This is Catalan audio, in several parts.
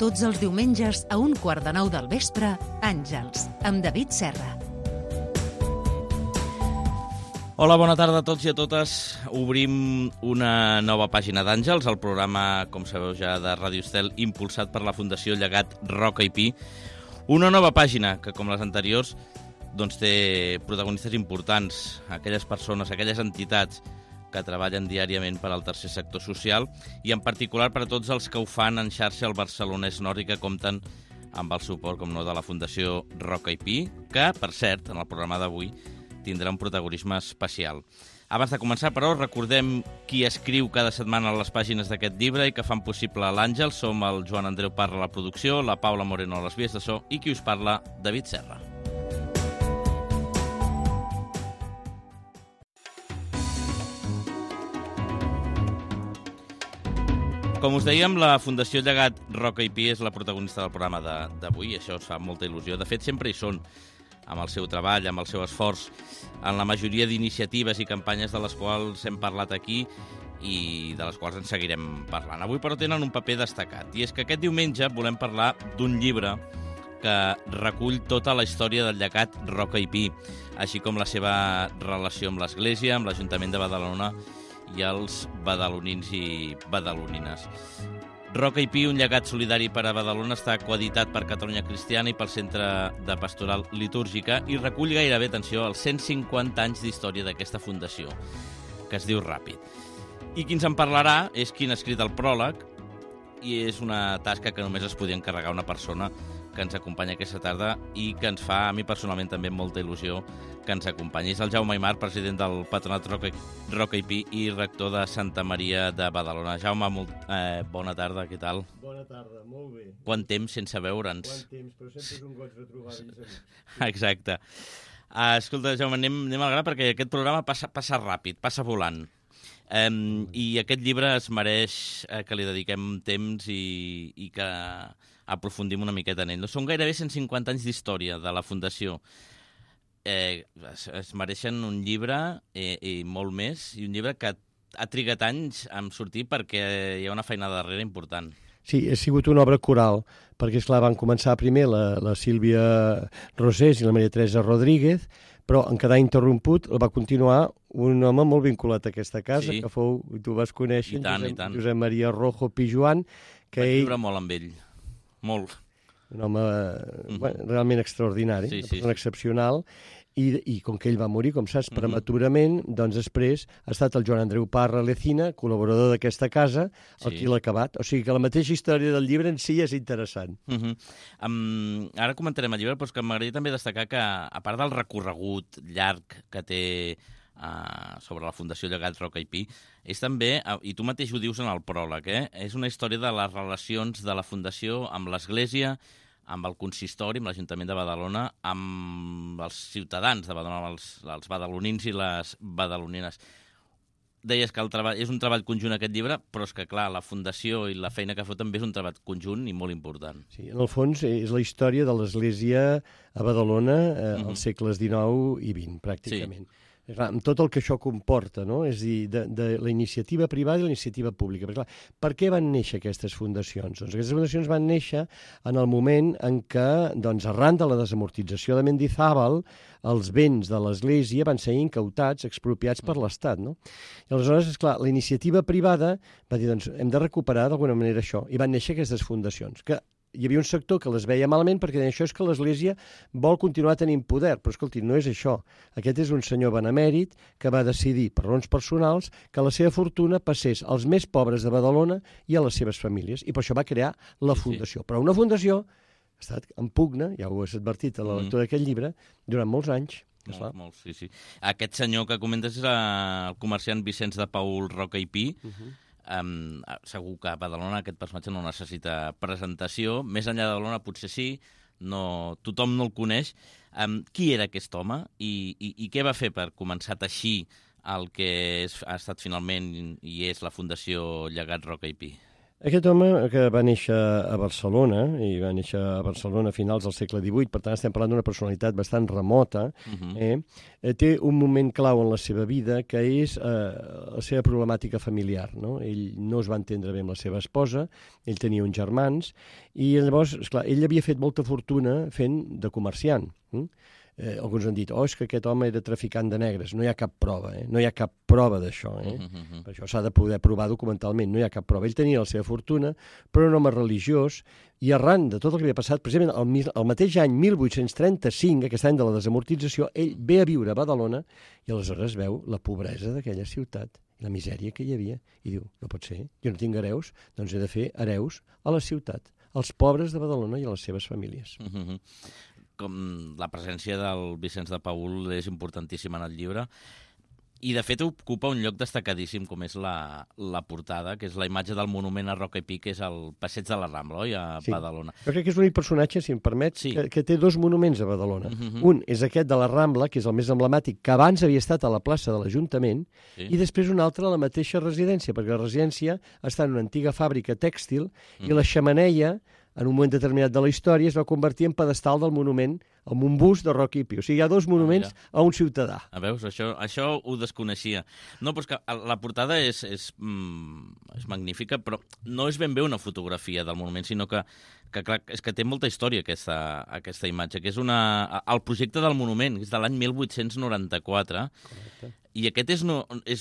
tots els diumenges a 8:45 del vespre, Àngels, amb David Serra. Hola, bona tarda a tots i a totes. Obrim una nova pàgina d'Àngels, el programa, com sabeu ja, de Ràdio Estel, impulsat per la Fundació Llegat Roca i Pi. Una nova pàgina que, com les anteriors, doncs té protagonistes importants, aquelles persones, aquelles entitats que treballen diàriament per al tercer sector social i en particular per a tots els que ho fan en xarxa al Barcelonès Nord i que compten amb el suport, com no, de la Fundació Roca i Pi, que, per cert, en el programa d'avui tindrà un protagonisme especial. Abans de començar, però, recordem qui escriu cada setmana a les pàgines d'aquest llibre i que fan possible l'Àngel. Som el Joan Andreu Parra a la producció, la Paula Moreno a les vies de so i qui us parla, David Serra. Com us dèiem, la Fundació Llegat Roca i Pi és la protagonista del programa d'avui. Això us fa molta il·lusió. De fet, sempre hi són, amb el seu treball, amb el seu esforç, en la majoria d'iniciatives i campanyes de les quals hem parlat aquí i de les quals en seguirem parlant. Avui, però, tenen un paper destacat. I és que aquest diumenge volem parlar d'un llibre que recull tota la història del llegat Roca i Pi, així com la seva relació amb l'Església, amb l'Ajuntament de Badalona i els badalonins i badalonines. Roca i Pi, un llegat solidari per a Badalona, està coeditat per Catalunya Cristiana i pel Centre de Pastoral Litúrgica i recull gairebé, atenció, els 150 anys d'història d'aquesta fundació, que es diu Ràpid. I qui ens en parlarà és qui n'ha escrit el pròleg i és una tasca que només es podia encarregar una persona que ens acompanya aquesta tarda i que ens fa, a mi personalment, també molta il·lusió que ens acompanyi. És el Jaume Aymar, president del Patronat Roca i Pi i rector de Santa Maria de Badalona. Jaume, bona tarda, què tal? Bona tarda, molt bé. Quant temps sense veure'ns? Quant temps, però sempre és un goig retrobar-nos. Exacte. Escolta, Jaume, anem al gra perquè aquest programa passa ràpid, passa volant. I aquest llibre es mereix que li dediquem temps i que aprofundim una miqueta en ell. Són gairebé 150 anys d'història de la Fundació. Es mereixen un llibre i molt més, i un llibre que ha trigat anys a sortir perquè hi ha una feina darrere important. Sí, ha sigut una obra coral, perquè, esclar, van començar primer la Sílvia Rosés i la Maria Teresa Rodríguez, però en quedar interromput el va continuar un home molt vinculat a aquesta casa, sí, que fou, tu vas conèixer, Josep Maria Rojo Pijuan, que vaig viure molt amb ell, molt. Un home realment extraordinari, una persona excepcional, i com que ell va morir, com saps, prematurament, doncs després ha estat el Joan Andreu Parra Lecina, col·laborador d'aquesta casa, qui l'ha acabat. O sigui que la mateixa història del llibre en si és interessant. Ara comentarem el llibre, però és que m'agradaria també destacar que, a part del recorregut llarg que té sobre la Fundació Llegat Roca i Pi, és també, i tu mateix ho dius en el pròleg, és una història de les relacions de la Fundació amb l'Església, amb el consistori, amb l'Ajuntament de Badalona, amb els ciutadans de Badalona, els badalonins i les badalonines. Deies que el treball és un treball conjunt aquest llibre, però és que, clar, la Fundació i la feina que fa també és un treball conjunt i molt important. Sí, en el fons és la història de l'Església a Badalona als segles XIX i XX, pràcticament. Sí. Amb tot el que això comporta, no? És a dir, de la iniciativa privada i la iniciativa pública. Però, clar, per què van néixer aquestes fundacions? Doncs aquestes fundacions van néixer en el moment en què, doncs, arran de la desamortització de Mendizábal, els béns de l'Església van ser incautats, expropiats per l'Estat, no? I aleshores, esclar, la iniciativa privada va dir, doncs, hem de recuperar d'alguna manera això. I van néixer aquestes fundacions, que hi havia un sector que les veia malament perquè deia, això és que l'Església vol continuar tenint poder, però escolti, no és això. Aquest és un senyor benemèrit que va decidir, per raons personals, que la seva fortuna passés als més pobres de Badalona i a les seves famílies, i per això va crear la fundació. Però una fundació ha estat en pugna, ja ho has advertit a la lectura d'aquest llibre, durant molts anys. Molts, sí. Aquest senyor que comentes és el comerciant Vicenç de Paul Roca i Pi. Segur que a Badalona aquest personatge no necessita presentació. Més enllà de Badalona potser sí, tothom no el coneix. Qui era aquest home i què va fer per començar a teixir el que ha estat finalment i és la Fundació Llegat Roca i Pi? Aquest home, que va néixer a Barcelona, i va néixer a Barcelona a finals del segle XVIII, per tant estem parlant d'una personalitat bastant remota, té un moment clau en la seva vida, que és la seva problemàtica familiar. No? Ell no es va entendre bé amb la seva esposa, ell tenia uns germans, i llavors, esclar, ell havia fet molta fortuna fent de comerciant. Alguns han dit, és que aquest home era traficant de negres. No hi ha cap prova, no hi ha cap prova d'això. Per això s'ha de poder provar documentalment, no hi ha cap prova. Ell tenia la seva fortuna, però un home religiós, i arran de tot el que havia passat, precisament el mateix any 1835, aquest any de la desamortització, ell ve a viure a Badalona i aleshores veu la pobresa d'aquella ciutat, la misèria que hi havia, i diu, no pot ser, jo no tinc hereus, doncs he de fer hereus a la ciutat, als pobres de Badalona i a les seves famílies. Com la presència del Vicenç de Paül és importantíssima en el llibre, i de fet ocupa un lloc destacadíssim com és la portada, que és la imatge del monument a Roca i Pi, que és el Passeig de la Rambla, oi, a Badalona. Jo crec que és l'únic personatge, si em permets, que té dos monuments a Badalona. Un és aquest de la Rambla, que és el més emblemàtic, que abans havia estat a la plaça de l'Ajuntament, i després un altre a la mateixa residència, perquè la residència està en una antiga fàbrica tèxtil i la xemeneia, en un moment determinat de la història, es va convertir en pedestal del monument, amb un bust de Roca i Pi. O sigui, hi ha dos monuments a un ciutadà. Veus? Això ho desconeixia. No, però és que la portada és magnífica, però no és ben bé una fotografia del monument, sinó que clar, és que té molta història aquesta imatge, que és el projecte del monument, que és de l'any 1894, correcte. I aquest és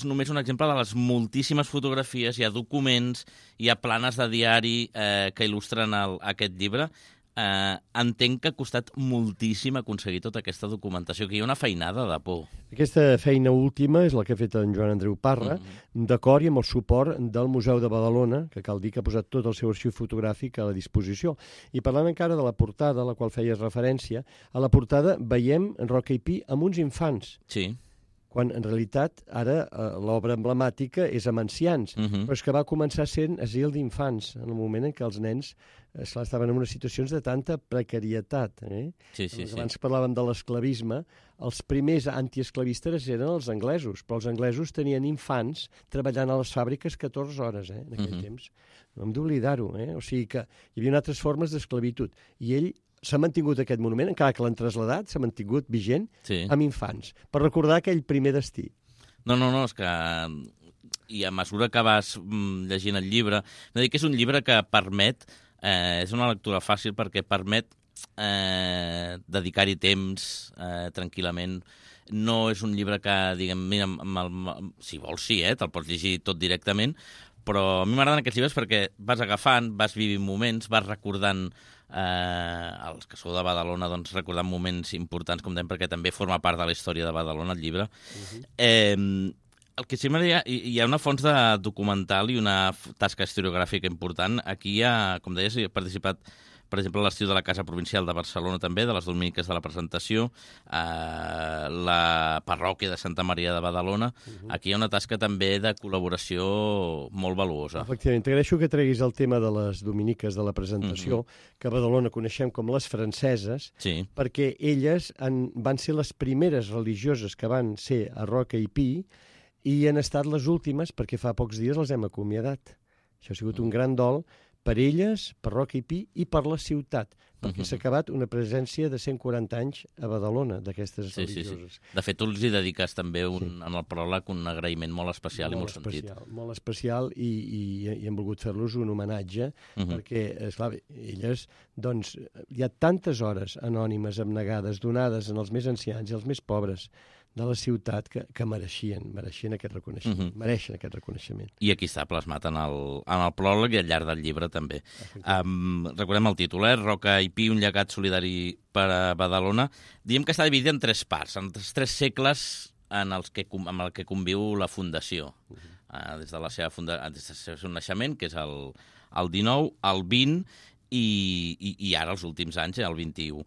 només un exemple de les moltíssimes fotografies, hi ha documents, hi ha planes de diari que il·lustren aquest llibre. Entenc que ha costat moltíssim aconseguir tota aquesta documentació, que hi ha una feinada de por. Aquesta feina última és la que ha fet en Joan Andreu Parra, d'acord i amb el suport del Museu de Badalona, que cal dir que ha posat tot el seu arxiu fotogràfic a la disposició. I parlant encara de la portada, a la qual feies referència, a la portada veiem Roca i Pi amb uns infants. Sí. Quan en realitat ara l'obra emblemàtica és amb ancians, però és que va començar sent asil d'infants, en el moment en què els nens estaven en unes situacions de tanta precarietat. Sí. Abans parlàvem de l'esclavisme, els primers antiesclavistes eren els anglesos, però els anglesos tenien infants treballant a les fàbriques 14 hores en aquell temps. No hem d'oblidar-ho, o sigui que hi havia altres formes d'esclavitud, i ell s'ha mantingut aquest monument, encara que l'han traslladat, s'ha mantingut vigent amb infants, per recordar aquell primer destí. No, és que... I a mesura que vas llegint el llibre... No dic que és un llibre que permet... és una lectura fàcil perquè permet dedicar-hi temps tranquil·lament. No és un llibre que, diguem, mira, si vols sí, te'l pots llegir tot directament, però a mi m'agraden aquests llibres perquè vas agafant, vas vivint moments, vas recordant... els que sou de Badalona, doncs recordant moments importants, com dèiem, perquè també forma part de la història de Badalona, el llibre. El que sí m'agradaria, hi ha una fons de documental i una tasca historiogràfica important. Aquí hi ha, com deies, he participat, per exemple, a l'Estiu de la Casa Provincial de Barcelona també, de les Dominiques de la Presentació, la parròquia de Santa Maria de Badalona. Aquí hi ha una tasca també de col·laboració molt valuosa. Efectivament, t'agraeixo que treguis el tema de les Dominiques de la Presentació, que a Badalona coneixem com les franceses, perquè elles van ser les primeres religioses que van ser a Roca i Pi i han estat les últimes perquè fa pocs dies les hem acomiadat. Això ha sigut un gran dol per elles, per Roca i Pi i per la ciutat, perquè s'ha acabat una presència de 140 anys a Badalona d'aquestes religioses. De fet, tu els hi dediques també en el pròleg un agraïment molt especial i molt sentit. Molt especial i hem volgut fer-los un homenatge perquè, esclar, elles, doncs, hi ha tantes hores anònimes, abnegades, donades en els més ancians i els més pobres de la ciutat que mereixen aquest reconeixement, mereixen aquest reconeixement. I aquí està plasmat en el pròleg i al llarg del llibre també. Recordem el títol, Roca i Pi, un llegat solidari per a Badalona. Diem que està dividit en 3 parts, en 3 segles amb el que conviu la fundació. Des del seu naixement, que és el 19, el 20 i ara els últims anys, el 21.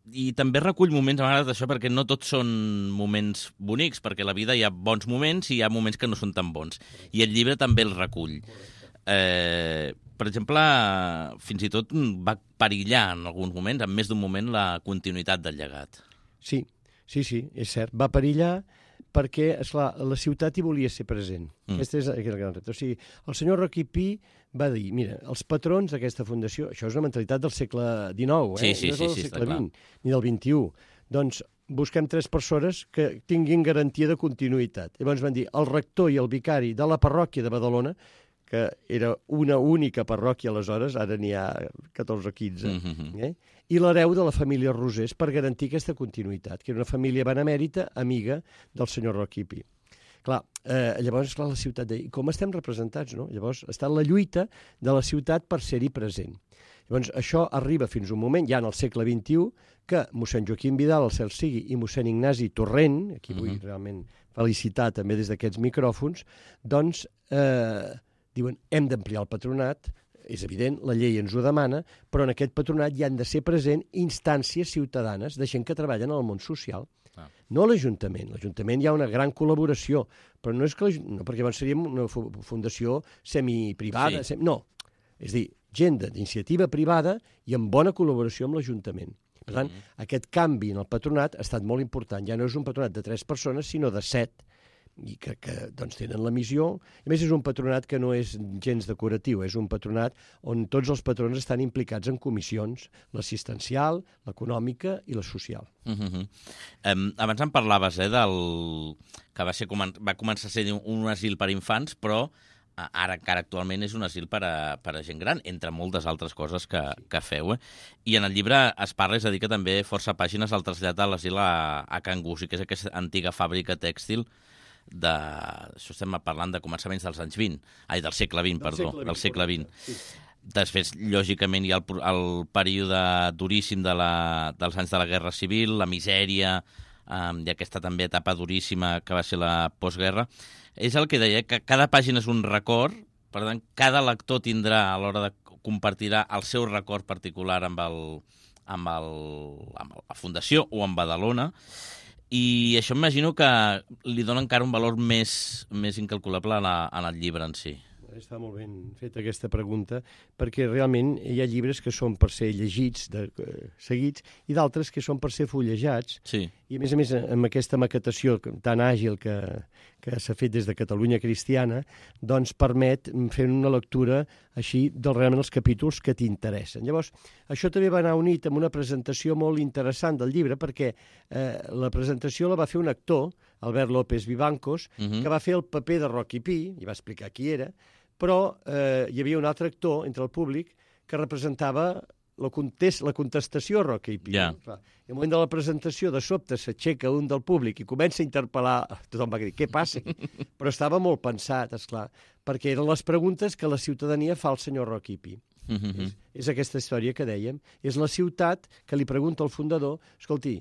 I també recull moments, a vegades d'això, perquè no tots són moments bonics, perquè a la vida hi ha bons moments i hi ha moments que no són tan bons. I el llibre també el recull. Per exemple, fins i tot va perillar en alguns moments, en més d'un moment, la continuïtat del llegat. Sí, és cert. Va perillar perquè, esclar, la ciutat hi volia ser present. Aquest és el gran repte. O sigui, el senyor Rocky Pi va dir, mira, els patrons d'aquesta fundació, això és una mentalitat del segle XIX, no és del segle XX, ni del XXI. Doncs busquem 3 persones que tinguin garantia de continuïtat. Llavors van dir, el rector i el vicari de la parròquia de Badalona, que era una única parròquia aleshores, ara n'hi ha 14 o 15, i l'hereu de la família Rosés per garantir aquesta continuïtat, que era una família benemèrita, amiga del senyor Rocky Pi. Clar, llavors, la ciutat deia, com estem representats, no? Llavors, està la lluita de la ciutat per ser-hi present. Llavors, això arriba fins un moment, ja en el segle XXI, que mossèn Joaquim Vidal, el cel sigui, i mossèn Ignasi Torrent, aquí vull realment felicitar també des d'aquests micròfons, doncs diuen, hem d'ampliar el patronat, és evident, la llei ens ho demana, però en aquest patronat hi han de ser present instàncies ciutadanes de gent que treballen en el món social. No l'Ajuntament. L'Ajuntament hi ha una gran col·laboració, però no és que no, perquè llavors seríem una fundació semiprivada. No, és a dir, gent d'iniciativa privada i amb bona col·laboració amb l'Ajuntament. Per tant, aquest canvi en el patronat ha estat molt important. Ja no és un patronat de 3 persones, sinó de 7, i que doncs, tenen la missió. A més, és un patronat que no és gens decoratiu, és un patronat on tots els patrons estan implicats en comissions, l'assistencial, l'econòmica i la social. Abans em parlaves del que va començar a ser un asil per infants, però ara encara actualment és un asil per a gent gran, entre moltes altres coses que feu. I en el llibre es parla, és a dir, que també força pàgines el trasllat de l'asil a Can Gussi, que és aquesta antiga fàbrica tèxtil això estem parlant de començaments del segle XX, perdó, del segle XX. Sí. Després, lògicament, hi ha el període duríssim dels anys de la Guerra Civil, la misèria, i aquesta també etapa duríssima que va ser la postguerra. És el que deia, que cada pàgina és un record, per tant, cada lector tindrà, a l'hora de compartirà el seu record particular amb la Fundació o amb Badalona, i això m'imagino que li dona encara un valor més incalculable en el llibre en si. Està molt ben feta aquesta pregunta, perquè realment hi ha llibres que són per ser llegits, seguits, i d'altres que són per ser fullejats. Sí. I a més, amb aquesta maquetació tan àgil que s'ha fet des de Catalunya Cristiana, doncs permet fer una lectura així realment els capítols que t'interessen. Llavors, això també va anar unit amb una presentació molt interessant del llibre, perquè la presentació la va fer un actor, Albert López Vivancos, que va fer el paper de Rocky Pi, i va explicar qui era, però hi havia un altre actor entre el públic que representava la contestació a Rocky Pi. Yeah. I al moment de la presentació, de sobte, s'aixeca un del públic i comença a interpel·lar. Tothom va dir, què passa? Però estava molt pensat, esclar, perquè eren les preguntes que la ciutadania fa al senyor Rocky Pi. És aquesta història que dèiem. És la ciutat que li pregunta al fundador, escolti,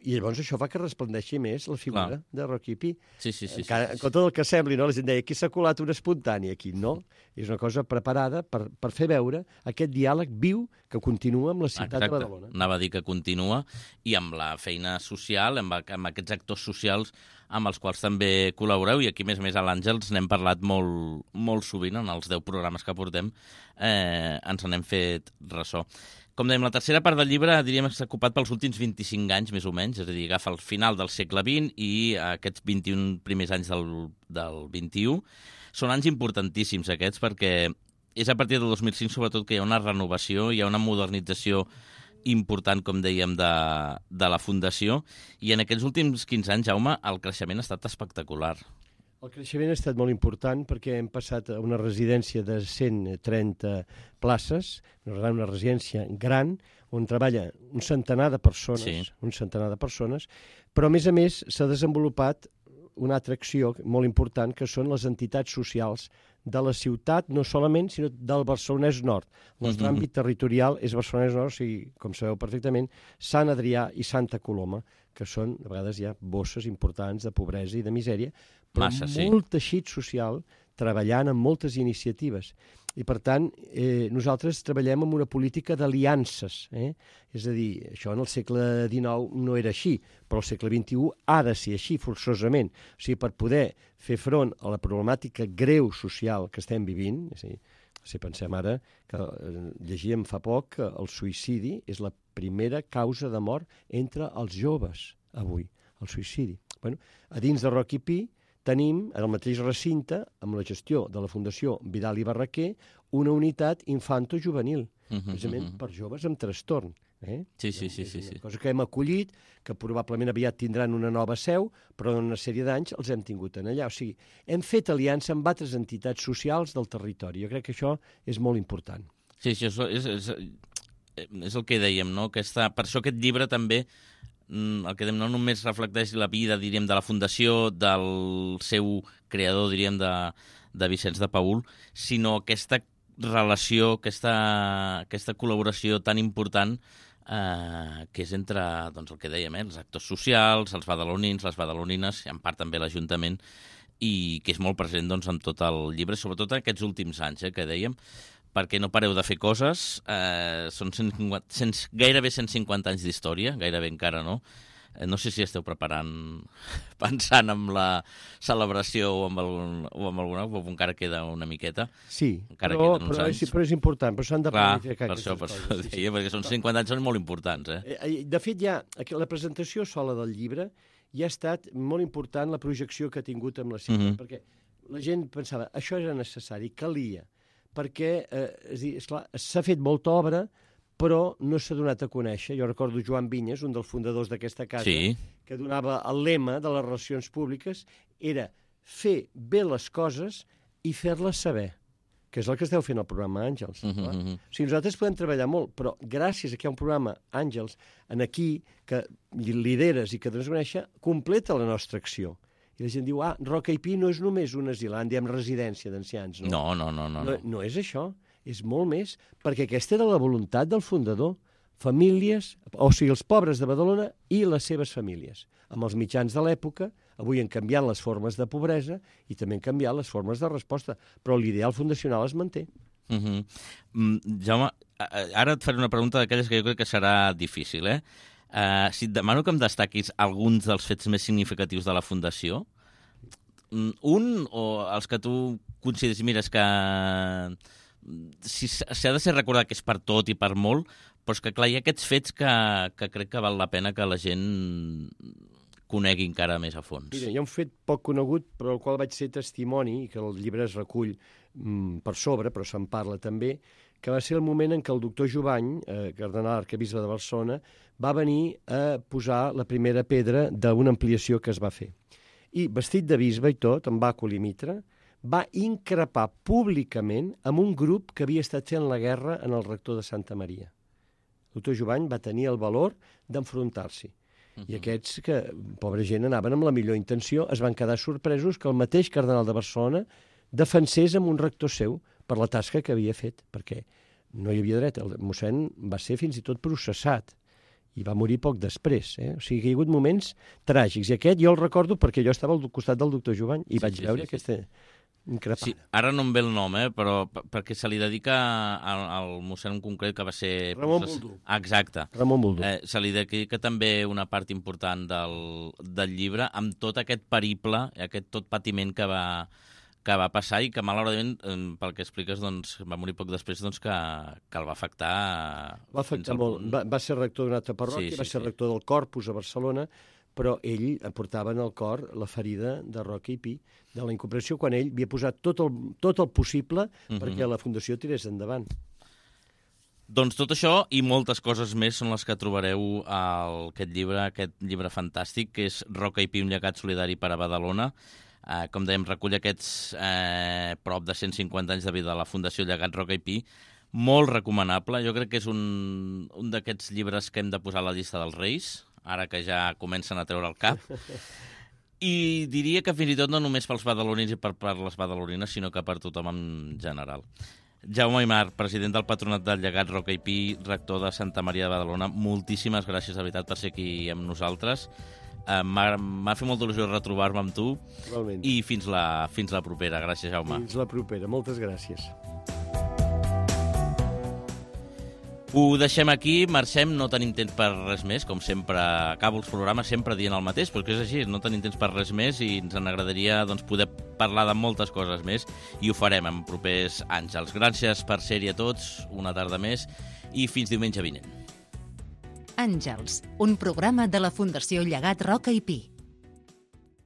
i llavors això fa que resplendeixi més la figura de Rocky Pi. Sí. En compte del que sembli, no? La gent deia, aquí s'ha colat un espontani, aquí no. És una cosa preparada per fer veure aquest diàleg viu que continua amb la ciutat de Badalona. Anava a dir que continua, i amb la feina social, amb aquests actors socials amb els quals també col·laboreu, i aquí, a més a l'Àngels n'hem parlat molt sovint en els 10 programes que portem, ens n'hem fet ressò. Com dèiem, la tercera part del llibre diríem que s'ha ocupat pels últims 25 anys, més o menys, és a dir, agafa el final del segle XX i aquests 21 primers anys del XXI. Són anys importantíssims aquests, perquè és a partir del 2005, sobretot, que hi ha una renovació, hi ha una modernització important, com dèiem, de la Fundació, i en aquests últims 15 anys, Jaume, el creixement ha estat espectacular. El creixement ha estat molt important perquè hem passat a una residència de 130 places, una residència gran, on treballa un centenar de persones, però a més s'ha desenvolupat una altra acció molt important, que són les entitats socials de la ciutat, no solament, sinó del Barcelonès Nord. El nostre àmbit territorial és Barcelonès Nord, o sigui, com sabeu perfectament, Sant Adrià i Santa Coloma, que són, a vegades hi ha bosses importants de pobresa i de misèria, però molt teixit social treballant en moltes iniciatives. I, per tant, nosaltres treballem amb una política d'aliances. És a dir, això en el segle XIX no era així, però al segle XXI ha de ser així, forçosament. O sigui, per poder fer front a la problemàtica greu social que estem vivint, és a dir, si pensem ara que llegíem fa poc que el suïcidi és la primera causa de mort entre els joves avui. el suïcidi. Bueno, a dins de Roca i Pi tenim, en el mateix recinte, amb la gestió de la Fundació Vidal i Barraquer, una unitat infanto-juvenil, precisament per joves amb trastorn. Sí. Una cosa que hem acollit, que probablement aviat tindran una nova seu, però en una sèrie d'anys els hem tingut en allà. O sigui, hem fet aliança amb altres entitats socials del territori. Jo crec que això és molt important. Sí, és el que dèiem, no? Per això aquest llibre també, el que dèiem, no només reflecteix la vida, diríem, de la fundació, del seu creador, diríem, de Vicenç de Paül, sinó aquesta relació, aquesta col·laboració tan important que és entre, doncs, el que dèiem, els actors socials, els badalonins, les badalonines, i en part també l'Ajuntament, i que és molt present, doncs, en tot el llibre, sobretot en aquests últims anys, que dèiem, perquè no pareu de fer coses. Són gairebé 150 anys d'història, gairebé encara no. No sé si esteu pensant en la celebració o amb alguna, o encara queda una miqueta. Sí, però és important, però s'han de planificar aquestes coses. Per això deia, perquè són 50 anys, són molt importants. De fet, la presentació sola del llibre ja ha estat molt important la projecció que ha tingut amb la ciutat, perquè la gent pensava, això era necessari, calia, perquè esclar, s'ha fet molta obra, però no s'ha donat a conèixer. Jo recordo Joan Vinyes, un dels fundadors d'aquesta casa, que donava el lema de les relacions públiques, era fer bé les coses i fer-les saber, que és el que esteu fent al programa Àngels. O sigui, nosaltres podem treballar molt, però gràcies a que hi ha un programa Àngels aquí, que lideres i que dones a conèixer, completa la nostra acció. I la gent diu, Roca i Pi no és només un asilant, diem residència d'ancians. No. No és això. És molt més, perquè aquesta era la voluntat del fundador. Famílies, o sigui, els pobres de Badalona i les seves famílies. Amb els mitjans de l'època, avui han canviat les formes de pobresa i també han canviat les formes de resposta, però l'ideal fundacional es manté. Jaume, ara et faré una pregunta d'aquelles que jo crec que serà difícil, Si et demano que em destaquis alguns dels fets més significatius de la Fundació, un o els que tu consideres, mira, és que s'ha de ser recordat que és per tot i per molt, però és que clar, hi ha aquests fets que crec que val la pena que la gent conegui encara més a fons. Mira, hi ha un fet poc conegut, però el qual vaig ser testimoni, i que el llibre es recull per sobre, però se'n parla també, que va ser el moment en què el doctor Jovany, cardenal arquebisbe de Barcelona, va venir a posar la primera pedra d'una ampliació que es va fer. I vestit de bisbe i tot, amb bàcul i mitra, va increpar públicament amb un grup que havia estat fent la guerra en el rector de Santa Maria. El doctor Jovany va tenir el valor d'enfrontar-s'hi. I aquests, que pobra gent, anaven amb la millor intenció, es van quedar sorpresos que el mateix cardenal de Barcelona defensés amb un rector seu per la tasca que havia fet, perquè no hi havia dret. El mossèn va ser fins i tot processat i va morir poc després. O sigui que hi ha hagut moments tràgics. I aquest jo el recordo perquè jo estava al costat del doctor Jovany i vaig veure aquesta increpada. Sí, ara no em ve el nom, però perquè se li dedica al mossèn en concret que va ser... Ramon Boldú. Exacte. Ramon Boldú. Se li dedica també una part important del llibre amb tot aquest periple, aquest tot patiment que va passar i que malauradament, pel que expliques, doncs, va morir poc després, doncs, que el va afectar... Va afectar molt. Va ser rector d'una altra parròquia, va ser rector del Corpus a Barcelona, però ell portava en el cor la ferida de Roca i Pi, de la incomprensió, quan ell havia posat tot el possible perquè la Fundació tirés endavant. Doncs tot això i moltes coses més són les que trobareu a aquest llibre fantàstic, que és Roca i Pi, un llegat solidari per a Badalona. Com dèiem, recull aquests prop de 150 anys de vida de la Fundació Llegat Roca i Pi. Molt recomanable. Jo crec que és un d'aquests llibres que hem de posar a la llista dels Reis, ara que ja comencen a treure el cap. I diria que fins i tot no només pels badalonins i per les badalonines, sinó que per tothom en general. Jaume Aymar, president del Patronat del Llegat Roca i Pi, rector de Santa Maria de Badalona, moltíssimes gràcies, de veritat, per ser aquí amb nosaltres. M'ha fet molta il·lusió retrobar-me amb tu. Igualment. I fins la propera. Gràcies, Jaume. Fins la propera. Moltes gràcies. Ho deixem aquí, marxem, no tenim temps per res més, com sempre acabo els programes sempre dient el mateix, però que és així, no tenim temps per res més i ens agradaria poder parlar de moltes coses més i ho farem en propers Àngels. Gràcies per ser-hi a tots, una tarda més i fins diumenge vinent. Àngels, un programa de la Fundació Llegat Roca i Pi.